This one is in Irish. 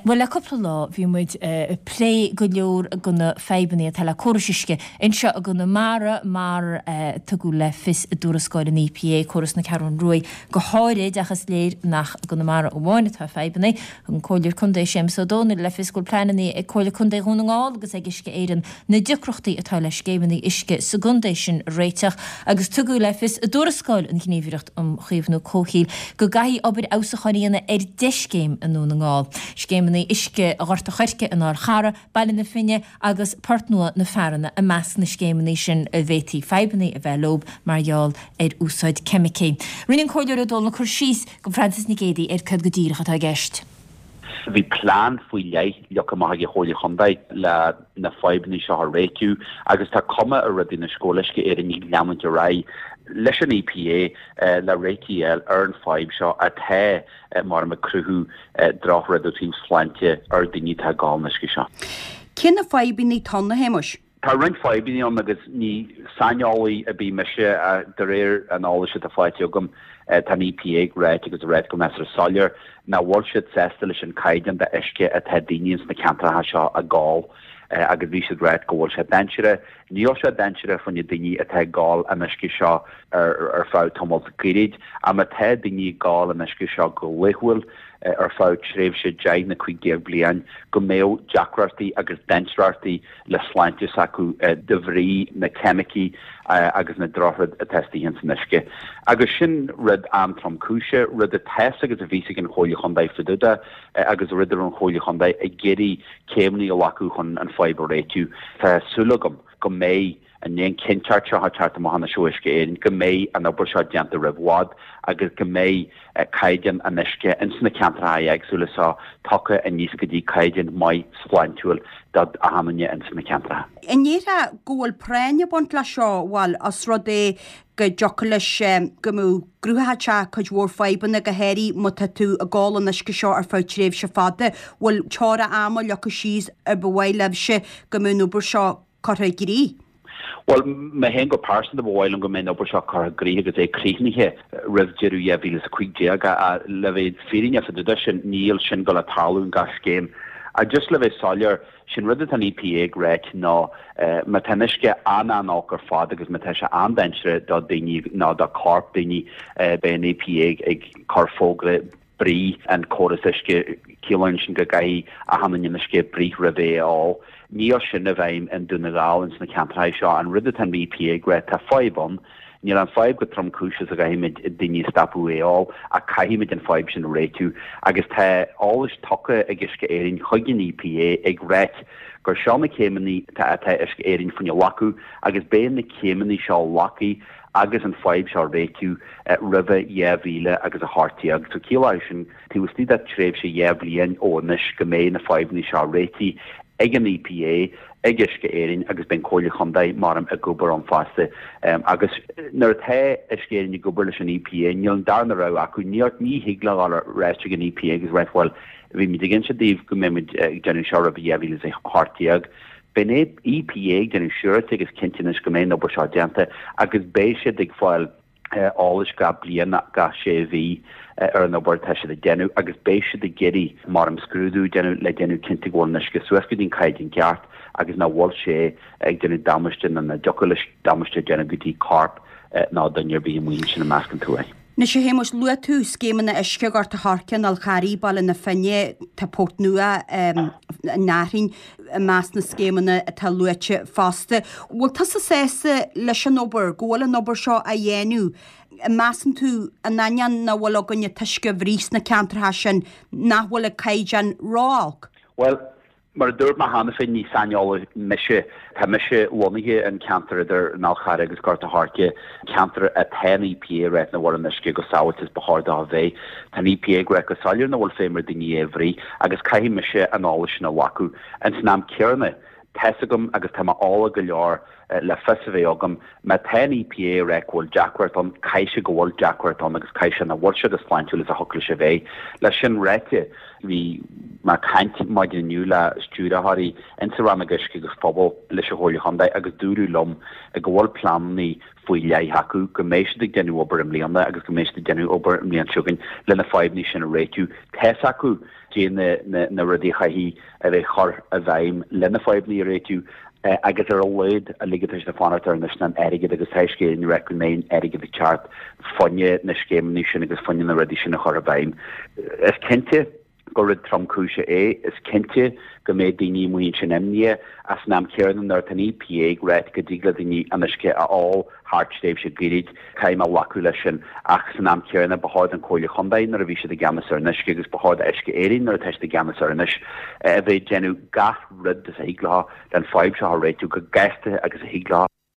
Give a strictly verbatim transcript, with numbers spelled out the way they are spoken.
Bhuel, le cúpla lá bhí muid ag plé go leor de na fadhbanna atá le córais uisce anseo i gConamara mar a tugadh le fios i dtuarascáil an EPA, córas na Ceathrún Rua go háirid ach is léir nach i gConamara amháin atá fadhbanna. Thug an Comhairleoir Contae Séamus Ó Dónaill le fios go bhfuil pleananna ag Comhairle Contae Dhún na nGall agus ag Uisce Éireann na deacrachtaí atá le scéimeanna uisce sa gcontae sin a réiteach agus tugadh le fios i dtuarascáil an Ghníomhaireacht um Chaomhnú Comhshaoil go gcaithfí obair fheabhsúcháin a dhéanamh ar deich scéim i nDún na nGall. Scéimeanna uisce Ghort a' Choirce, an Fhál Charraigh, Baile na Finne agus Port Nua na Fearanna i measc na scéimeanna sin a bhféadfaí fadhbanna a bheith leo mar gheall ar úsáid ceimicí. Rinne an Comhairleoir Ó Dónaill cur síos do Frances Nic Géadaigh ar cad go díreach atá i gceist. Bhí plean faoi leith leagtha amach ag an Chomhairle Chontae le na fadhbanna seo a réitiú agus tá cuma ar rudaí anois go bhfuil Uisce Éireann ag leanúint ar aghaidh leis an EPA le réiteach a fháil ar an fadhb seo atá mar ag cruthú drochrud ó thaobh sláinte ar daoine atá ag ól an uisce seo. Cé na fadhbanna atá ann, a Shéamuis? Tá roinnt fadhbanna ann agus ní saineolaí ar bith mise de réir an eolais atá faighte agam tá an EPA ag ráit agus ag ráit go measartha soiléir nach bhfuil siad sásta leis an caighdeán de uisce atá daoine ins na ceantracha seo ag ól agus bhí siad ráit go bhfuil sé dainséarach. Níl sé dainséarach faoi na daoine atá ag ól an uisce seo ar ar feadh tamall gairid, ach má tá daoine ag ól an uisce seo go laethúil ar feadh tréimhse deich nó cúig déag bliain, go mbeadh deacrachtaí agus dainséarachtaí le sláinte s'acu de bhrí na ceimicí agus na drochrud atá istigh ins an uisce. Agus sin rud an-tromchúiseach, rud atá agus a bhí ag an Chomhairle Chontae fá dtaobh de agus rud a raibh an Chomhairle Chontae ag iarraidh céimeanna a ghlacadh chun an fadhb a réitiú. Tá súil agam go mbeidh an chinnteacht seo ag teacht amach anois ó Uisce Éireann, go mbeidh an obair seo déanta roimh bhfad agus go mbeidh caighdeán an uisce ins na ceantracha éagsúla seo tugtha aníos go dtí caighdeán maith sláintiúil do achan duine ins na ceantracha. An ndéarfá go bhfuil práinn ag baint leis seo, bhuel, os rud é go dtiocfadh leis go mbeadh gcruthódh sé cuid mhór fadhbanna go háirithe má tá tú ag ól an uisce seo ar feadh tréimhse fada, bhfuil teora ama leagtha síos ar ba mhaith libhse go mbeadh an obair seo curtha i gcrích? Bhuel, mé féin go pearsanta ba mhaith liom go mbeadh an obair seo curtha i gcrích agus é críochnaithe roimh deireadh dhá mhíle is a cúig déag ach le bheith fírinneach fá dtaobh de sin, níl sin ag gabháil a tarlú in gach scéim. Ach just le bheith soiléir, sin rud atá an EPA ag ráit ná má tá an uisce an-an-olc ar fad agus má tá sé an-dainséarach do daoine nó do chorp daoine, beidh an EPA ag cur fógra bruith an córas uisce, ciallaíonn sin go gcaithfidh achan duine an uisce a bhruith roimh é a ól. Níl sin i bhfeidhm i nDún na nGall ins na ceantracha seo. An rud atá an EPA ag rá, tá fadhb ann. Níl an fadhb chomh tromchúiseach is a gcaithfimid daoine a stopadh é a ól, ach caithfimid an fadhb sin a réitiú. Agus tá eolas tugtha ag Uisce Éireann chuig an EPA ag ráit gur seo na céimeanna atá Uisce Éireann faoina nglacadh agus beidh na céimeanna seo glactha agus an fadhb seo a réitiú roimhe dhá mhíle agus a hocht déag. So ciallóidh sin taobh istigh de tréimhse dhá bhliain ó anois go mbeidh na fadhbanna seo réitithe ag an EPA, ag Uisce Éireann agus beidh an Comhairle Chontae maram ag obair ann fosta. Agus nuair atá Uisce Éireann ag obair leis an EPA, níl an darna rogha acu, ní ní thig leo a ráit chuig an EPA agus ráit bhuel, bhí muid ag inse daoibh go mbeidh muid ag déanamh seo roimh dhá mhíle is a hocht déag. Beidh an EPA ag déanamh siúráilte agus cinnte anois go mbeidh an obair seo déanta agus beidh siad ag fáil eolais gach bliain, gach sé mhí ar an obair atá siad ag déanamh agus beidh siad ag iarraidh mar imscrúdú a dhéanamh le déanamh cinnte go bhfuil an uisce suas go dtí an caighdeán ceart agus nach bhfuil sé ag déanamh damáiste nó nach dtiocfadh leis damáiste a dhéanamh go dtí corp ná duine ar bith amuigh ansin i measc an tuaithe. Anois a Shéamuis, luaigh tú scéimeanna uisce Ghort a' Choirce, an Fháil Charraigh, Baile na Finne, tá Port Nua, an Fhearthainn i measc na scéimeanna atá luaite fosta. Bhfuil tusa sásta leis an obair, go bhfuil an obair seo á dhéanamh? An measann tú, in ainneoin nach bhfuil againn an t-uisce a bhruith sna ceantracha sin, nach bhfuil an caighdeán ró-olc? Bhuel, Mar a dúirt mé cheana féin, ní saineolaí mise. Tá mise lonnaithe in ceantar idir an Fhál Charraigh agus Gort a' Choirce, ceantar atá an EPA ag ráit nach bhfuil an uisce chomh sábháilte is ba chóir dó a bheith. Tá an EPA ag ráit go soiléir nach bhfuil feidhm ar daoine é a bhruith agus caithfidh mise an eolas sin a ghlacadh. Ins an am céanna, tá's agam agus tá mé eolach go leor le fios a bheith agam, má tá an EPA ag ráit go bhfuil deacracht ann, caithfidh sé go bhfuil deacracht ann agus caithfidh sé nach bhfuil sé chomh sláintiúil is a thiocfadh leis a bheith. Leis sin ráite, Bhí mé ag caint maidin inniu le stiúrthóirí insa Rannóg Uisce agus Pobail leis an Chomhairle Chontae agus dúradh liom go bhfuil pleananna faoi leith acu, go mbeidh siad ag déanamh obair i mbliana agus go mbeidh siad ag déanamh obair an bhliain seo chugainn le na fadhbanna sin a réitiú. Tá's acu dé na rudaí a chaithfidh a bheith chur i bhfeidhm le na fadhbanna a réitiú agus ar a laghad an rud atá siad ag fanacht air anois ná an airgead agus tá Uisce Éireann ag rá go mbeidh an airgead ag teacht fá choinne na scéimeanna sin agus fá choinne na rudaí sin a chur i bhfeidhm. Is cinnte gur rud tromchúiseach é, is cinnte go mbeidh daoine amuigh ansin imníoch ach san am céanna nuair atá an EPA ag ráit go dtig le daoine an uisce a ól thar tréimhse gairid, caithfidh mé glacadh leis sin ach san am céanna ba chóir don Chomhairle Chontae nuair a bhí siad i gceannas ar an uisce agus ba chóir d'Uisce Éireann nuair atá siad i gceannas air anois a bheith ag déanamh gach rud is a thig leo le an fadhb seo a réitiú chomh gasta agus a thig leo.